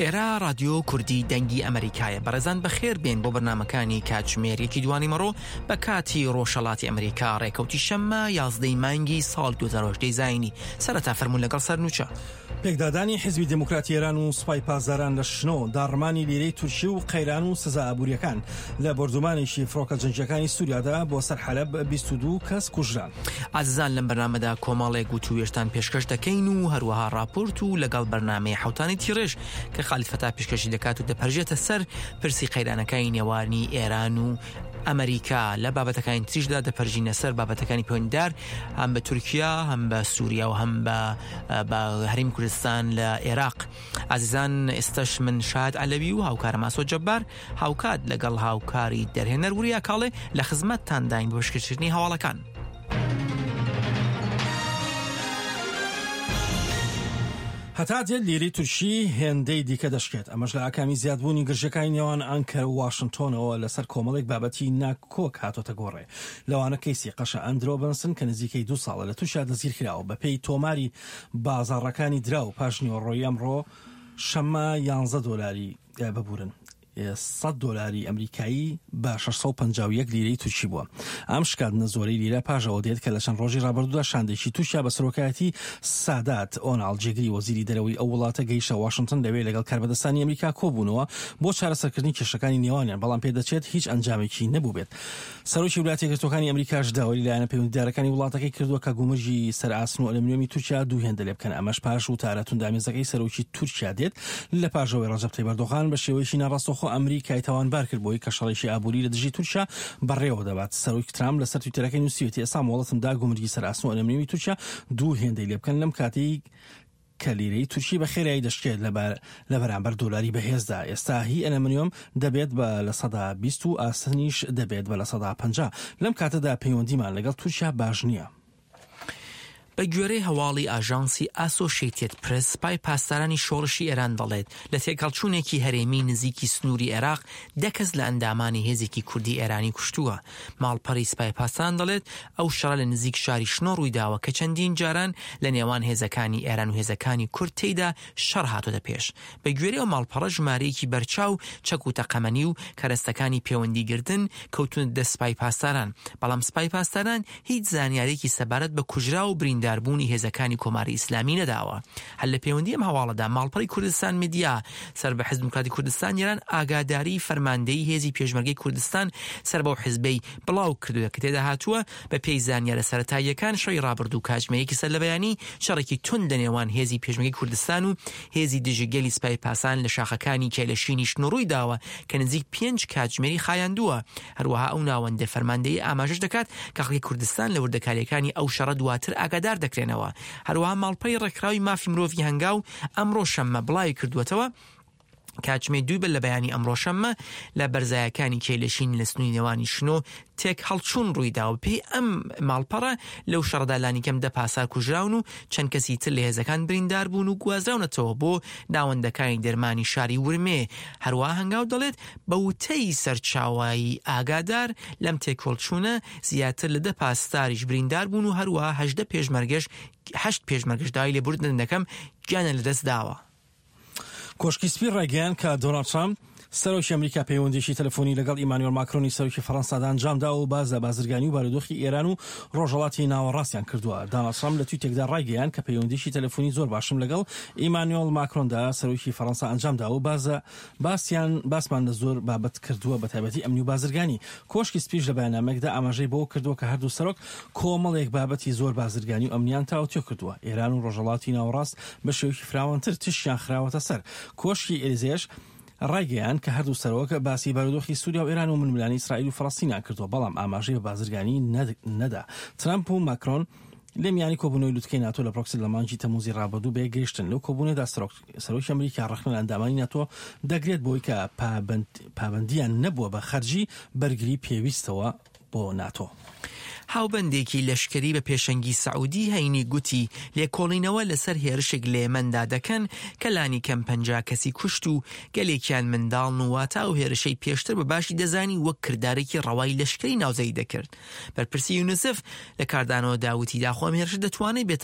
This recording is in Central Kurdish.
ئێرە ڕادیۆ کوردی دەنگی ئەمریکایە بەڕێزان بەخێر بێن بۆ بەرنمەکانی کاتژمێر یەکی دوانی مەڕۆ بە کاتی ڕۆژهەڵاتی ئەمریکا ڕێکەوتی شەممە یازدەی مانگی ساڵ 2010 زایینی سەرەتا فەرموون لەگەڵ سەرنوچە. پێکدادانی حیزبی دێموکراتی ئێران و سوپای پاسداران لە شنۆ، داڕمانی لیرەی تورکی و قەیران و سزا ئابوورییەکان لە بۆردومانێکی فڕۆکە جەنگییەکانی سووریادا بۆ سەر حەلەب 22 کەس کوژران. ئازیزان لەم بەرنامەدا کۆمەڵێک وتووێژتان پێشکەش دەکەین و هەروەها ڕاپۆرت و لەگەڵ بەرنامەی حەوتانی تیڕێژ کە خالید فەتا پێشکەشی دەکات و دەپەرژێتە سەر پرسی قەیرانەکانی نێوانی ئێران و ئەمریکا لە بابەتەکانی تریشدا دەپەرژینە سەر بابەتەکانی پەیوەندیدار هەم بە تورکیا هەم بە سووریا و هەم بە بە هەرێمی کوردستان لە عێراق ئازیزان ئێستش من شاد عەلەوی و هاوکارم ئاسۆ جەبار هاوکات لەگەڵ هاوکاری دەرهێنەر وریا کاڵێ لە خزمەتتانداین بۆ پێشکەشکردنی هەواڵەکان. هەتا دێت لیرەی تورکی هێندەی دیکە دەشکێت، ئەمەش لە ئاکامی زیادبوونی گرژییەکانی نێوان ئانکەرە و واشنتۆنەوە لەسەر کۆمەڵێک بابەتی ناکۆک هاتۆتە گۆڕێ، لەوانە کەیسی قەشە ئەندرۆ بنسن کە نزیکەی دوو ساڵە لە تورکیا دەستگیرکراوە. بەپێی تۆماری بازاڕەکانی دراو پاشنیوەڕۆی ئەمڕۆ شەممە یانزە دۆلاری ببورن سەد دۆلاری ئەمریکایی بە 651 لیرەی تورکی بووە. ئەم شکاندنە زۆرەی لیرە پاش ئەوە دێت کە لە چەند ڕۆژی ڕابردوودا شاندێکی تورکیا بە سەرۆکایەتی سادات ئۆناڵ جێگری وەزیری دەرەوەی ئەو وڵاتە گەیشتە واشنتن لەوێ لەگەڵ کاربەدەستانی ئەمریکا کۆبوونەوە بۆ چارەسەرکردنی کێشەکانی نێوانیان بەڵام پێدەچێت هیچ ئەنجامێکی نەبووبێت. سەرۆکی ولاتە یەکگرتووەکانی ئەمریکاش داوای لە لایەنە پەیوەندیدارەکانی وڵاتەکەی کردووە کە گومرگی سەر ئاسن و ئەلەمنیۆمی تورکیا دوو هێندە لێ بکەن، ئەمەش پاش وتارە توندئامێزەکەی سەرۆکی تورکیا دێت لە پاش ئەوەی ڕەجەب تەیب ئەردۆغان بە شێوەیەکی ناڕاستەوخۆ ئەمریکای تاوانبار کرد بۆی کە شەڕێکی ئابووری لە دژی تورکیا بەڕێوە دەبات. سەرۆک ترامپ لەسەر تویتەرەکەی نووسیویەتی ئێستا مۆڵەتم دا گومرگی سەر ئاسن و ئەلەمنیۆمی تورکیا دوو هێندەی لێ بکەن لەم کاتەی کە لیرەی تورکی بە خێرایی دەشکێت لە بەرامبەر دۆلاری بەهێزدا، ئێستا هی ئەلەمنیۆم دەبێت بە 20% و ئاسنیش دەبێت بە 50%. لەم کاتەدا پەیوەندیمان لەگەڵ تورکیا باش نییە. بە گوێرەی هەواڵی ئاژانسی ئاسۆشەیتێد پرێس، سپای پاسدارانی شۆڕشی ئێران دەڵێت، لە تێکهەڵچوونێکی هەرێمی نزیکی سنووری عێراق، دە کەس لە ئەندامانی هێزێکی کوردی ئێرانی کوشتووە. ماڵپەڕی سپای پاسداران دەڵێت، ئەو شەڕە لە نزیک شاری شنۆ ڕوویداوە کە چەندین جاران لە نێوان هێزەکانی ئێران و هێزەکانی کورد تێیدا شەڕ هاتۆتە پێش. بە گوێرەی ئەو ماڵپەڕە ژمارەیەکی بەرچاو چەک و تەقەمەنی و کەرەستەکانی پێوەندیگرتن کەوتوونەتە دەست سپای پاسداران، بەڵام سپای پاسداران هیچ زانیارییەکی سەبارەت بە کوژراو و برینداربوونی هێزەکانی کۆماری ئیسلامی نەداوە. هەر لە پێوەندی ئەم هەواڵەدا ماڵپەڕی کوردستان میدیا سەر بە حزب دیموکراتی کوردستان ئێران ئاگاداریی فەرماندەیی هێزی پێشمەرگەی کوردستان سەر بەو حزبەی بڵاو کردووە کە تێدا هاتووە بە پێی زانیارە سەرەتاییەکان شەوی ڕابردوو کاتژمێر یەکی سەر لە بەیانی شەڕێکی توند لە نێوان هێزی پێشمەرگەی کوردستان و هێزی دژی گەلی سپای پاسان لە شاخەکانی کێلەشینی شنۆ ڕووی داوە کە نزیک پێنج کاتژمێری خایاندووە. هەروەها ئەو ناوەندە فەرماندەیی ئاماژەش دەکات کە خەڵکی کوردستان لە وردەکارییەکانی ئەو شەڕە دواتر ئاگادار دەکرێنەوە. هەروەها ماڵپەری ڕێکخراوی مافی مرۆڤی هەنگاو ئەمڕۆ شەممە بڵاوی کردووەتەوە، کاتژمێر دووی بەر لە بەیانی ئەمڕۆ شەممە لە بەرزایەکانی کێلەشین لە سنووری نێوانی شنۆ تێکهەڵچوون ڕوویداوە. بەپێی ئەم ماڵپەڕە لەو شەڕەدا لانیکەم دە پاسدار کوژراون و چەند کەسی تر لە هێزەکان بریندار بوون و گوازراونەتەوە بۆ ناوەندەکانی دەرمانی شاری ورمێ. هەروەها هەنگاو دەڵێت، بە وتەی سەرچاوەی ئاگادار، لەم تێکهەڵچوونە زیاتر لە دە پاسداریش بریندار بوون و هەروەها 18 پێشمەرگەش هەشت پێشمەرگەش داوای لێبوردن دەکەم گیانیان لەدەست داوە. کۆشکی سپی ڕایگەیاند کە دۆناڵد ترامپ، سەرۆکی ئەمریکا پەیوەندییەکی تەلەفۆنی لەگەڵ ئیمانوێل ماکرۆنی سەرۆکی فەرەنسادا ئەنجامداوە و باس لە بازرگانی و بارودۆخی ئێران و ڕۆژهەڵاتی ناوەڕاستیان کردووە. داناڵد ترامپ لە تویتێکدا ڕایگەیاند کە پەیوەندییەکی تەلەفۆنی زۆر باشم لەگەڵ ئیمانوێل ماکرۆندا سەرۆکی فەرەنسا ئەنجامداوە و باس باسیان باسمان لە زۆر بابەت کردووە بەتایبەتی ئەمنی و بازرگانی. کۆشکی سپیش لە بەیاننامەیەکدا ئاماژەی بەوە کردووە کە هەردوو سەرۆک کۆمەڵێک بابەتی زۆر بازرگانی و ئەمنیان تاوتوێ کردووە. ئێران و ڕۆژهەڵاتی ناوەڕاست بە شێوەیەکی فراوانتر تیشکیان خراوەتە سەر. کۆشکی ئێلیزێش ڕایگەیاند کە هەردوو سەرۆک باسی بارودۆخی سووریا و ئێران و ململانێی ئیسرائیل و فەڵەستینیان کردووە، بەڵام ئاماژەی بە بازرگانی نەدا. ترەمپ و ماکرۆن لە میانی کۆبوونەوەی لوتکەی ناتۆ لە برۆکسل لە مانگی تەمووزی ڕابردوو بەیەکگەیشتن. لەو کۆبوونەوەدا سەرۆکی ئەمریکا ڕەخنە لە ئەندامانی ناتۆ دەگرێت بەوەی کە پابەندییان نەبووە بە خەرجی بەرگری پێویستەوە بۆ ناتۆ. هاوبەندێکی لەشکری بە پێشەنگی سەعودی هەینی گوتی لێکۆڵینەوە لەسەر هێرشێک لە یەمەندا دەکەن کە لانیکەم 50 کەسی کوشت و گەلێکیان منداڵن و واتە ئەو هێرشەی پێشتر بە باشی دەزانی وەک کردارێکی ڕەوای لەشکری ناوزەدی دەکرد. بەرپرسی یونیسف لە کاردانەوەدا وتی داخۆ ئەم هێرشە دەتوانێت بێتە.